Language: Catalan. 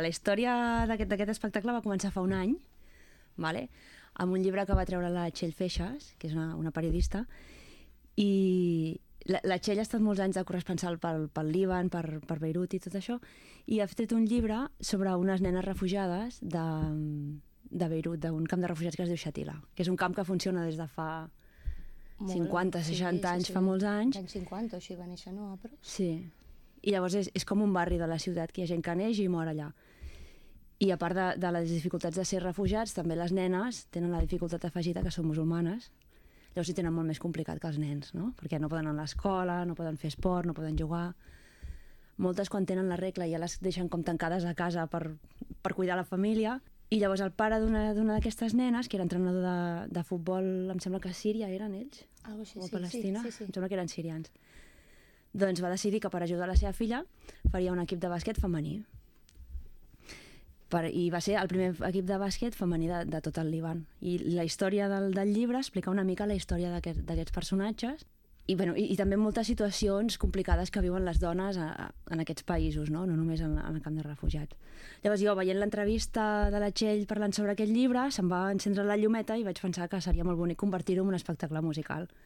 La història d'aquest espectacle va començar fa un any, vale? Amb un llibre que va treure la Txell Feixas, que és una periodista, i la Txell ha estat molts anys de corresponsal pel Líban, per Beirut i tot això, i ha tret un llibre sobre unes nenes refugiades de Beirut, d'un camp de refugiats que es diu Shatila, que és un camp que funciona des de fa 50, 60 anys, fa molts anys. Anys 50 o així va néixer, no? Però... Sí. I llavors és com un barri de la ciutat, que hi ha gent que neix i mor allà. I a part de les dificultats de ser refugiats, també les nenes tenen la dificultat afegida que són musulmanes. Llavors hi tenen molt més complicat que els nens, no? Perquè no poden anar a l'escola, no poden fer esport, no poden jugar. Moltes, quan tenen la regla, ja les deixen com tancades a casa per cuidar la família. I llavors el pare d'una d'aquestes nenes, que era entrenador de futbol, em sembla que a Síria eren ells, algo així, o a Palestina, sí. em sembla que eren sirians. Doncs va decidir que per ajudar la seva filla faria un equip de bàsquet femení. I va ser el primer equip de bàsquet femení de tot el Líban. I la història del llibre explica una mica la història d'aquests personatges i també moltes situacions complicades que viuen les dones en aquests països, no només en el camp de refugiats. Llavors jo, veient l'entrevista de la Txell parlant sobre aquest llibre, se'm va encendre la llumeta i vaig pensar que seria molt bonic convertir-ho en un espectacle musical.